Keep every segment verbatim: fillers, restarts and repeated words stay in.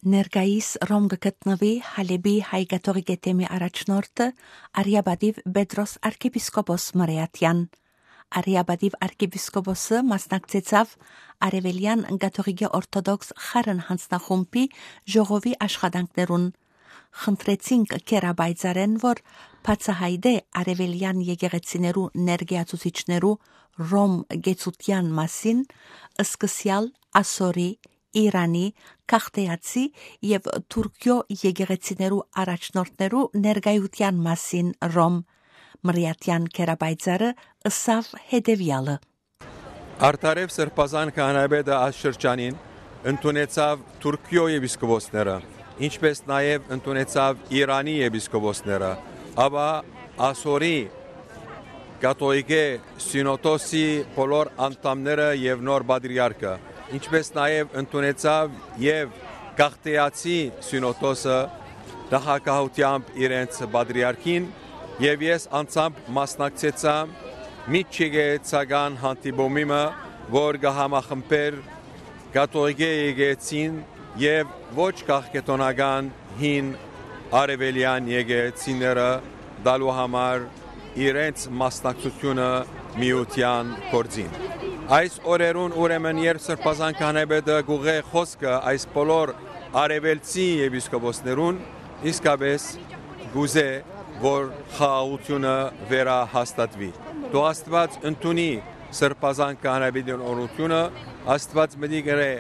Ներկայիս Ռոմ գտնվի Հալեբի հայ կաթողիկ թեմի առաջնորդը Արիաբադիվ Պետրոս arczepiskopos Մարիաթյան։ Արիաբադիվ arczepiskopos-ը մասնակցեցավ Արևելյան կաթողիկ օրթոդոքս խարն հանձնախումբի ժողովի աշխատանքներուն։ Խնդրեցինք կերաբայծարեն, որ բացահայտե Արևելյան եկեղեցիներու ներկայացուցիչներու Ռոմ գեցության մասին սկսյալ ասորի Իրանի, Քաղտեացի և Թուրքիո եկեղեցիներու առաջնորդներու ներկայության մասին Ռոմ Մրիաթյան կերաբայծարը ըսավ հետևյալը. Արդարև սրբազան քահանայապետը այս շրջանին ընդունեցավ Թուրքիո եպիսկոպոսները, ինչպես նաև ընդունեցավ Իրանի եպիսկոպոսները, ապա ասորի կաթողիկ սինոդոսի բոլոր անդամները և նոր պատրիարքը, ինչպես նաև ընդունեցավ և Քաղտեացի սինոդոսը նախագահությամբ իրենց պատրիարքին, և ես անձամբ մասնակցեցա միջեկեղեցական հանդիպումին, որ կհամախմբեր կաթողիկ եկեղեցին և ոչ քաղաքական հին արևելյան եկեղեցիները տալու համար իրենց մասնակցությունը միության գործին։ Այս օրերուն ուրեմն երբ սրբազան քահանայապետը գուղե խոսքը այս բոլոր արևելցի եպիսկոպոսներուն, իսկապես գուզե, որ խաղաղությունը վերահաստատվի։ Թող Աստված ընդունի սրբազան քահանայապետի օրհնությունը, Աստված մտի գրե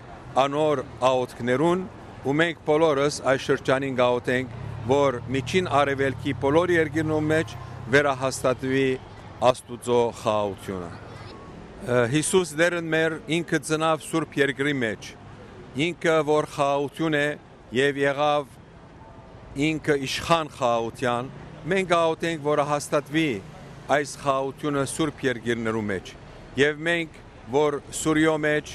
անոր աղոթքներուն, ու մենք բոլորս այս շրջանին գաղութենք, որ միջին արևելքի բոլոր երկիրներու մեջ վերահաստատվի Աստուծո խաղաղությունը։ Հիսուս դերն մեր ինքը ծնավ Սուրբ երկրի մեջ, ինքը որ խաղաղություն է և եղավ ինքը իշխան խաղաղության, մենք գաղութենք, որ հաստատվի այս խաղաղությունը Սուրբ երկիրներու մեջ, և մենք, որ Սուրիո մեջ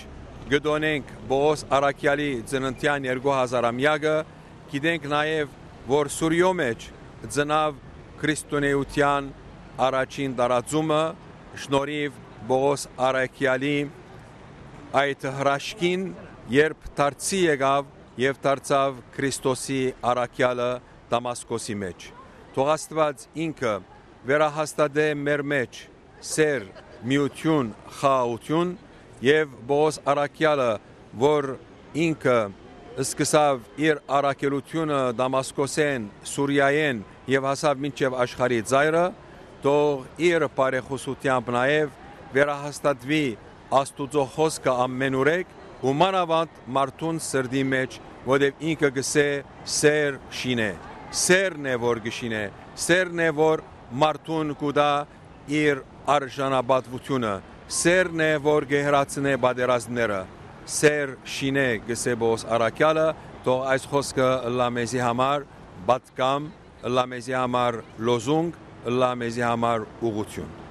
գտոնենք Պողոս առաքյալի ծննդյան երկու հազարամյակը, գիտենք նաև, որ Սուրիո մեջ ծնավ քրիստոնեության առաջին տարածումը շնորհիվ Պողոս առաքյալի այդ հրաշքին, երբ դարձի եկավ և դարձավ Քրիստոսի առաքյալը Դամասկոսի մեջ։ Թող Աստված ինքը վերահաստատե մեր մեջ սեր, միություն, խաղաղություն, և Պողոս առաքյալը, որ ինքը սկսավ իր առաքելությունը Դամասկոսեն, Սուրիայեն և հասավ մինչև աշխարհի ծայրը, թող իր բարեխոսությամբ նաև վերահաստատվի Աստուծո խոսքը ամենուրեք ու մանավանդ մարդուն սրտի մեջ, որտև ինքը գսե սեր շինե, սերն է որ գշինե, սերն է որ մարդուն կուտա իր արժանապատվությունը, սերն է որ գեհրացնե պատերազմները, սեր շինե գսե Պողոս առաքյալը, թող այս խոսքը ըլլա մեզի համար պատգամ, ըլլա մեզի համար լոզունգ, ըլլա մեզի համար ուղղություն։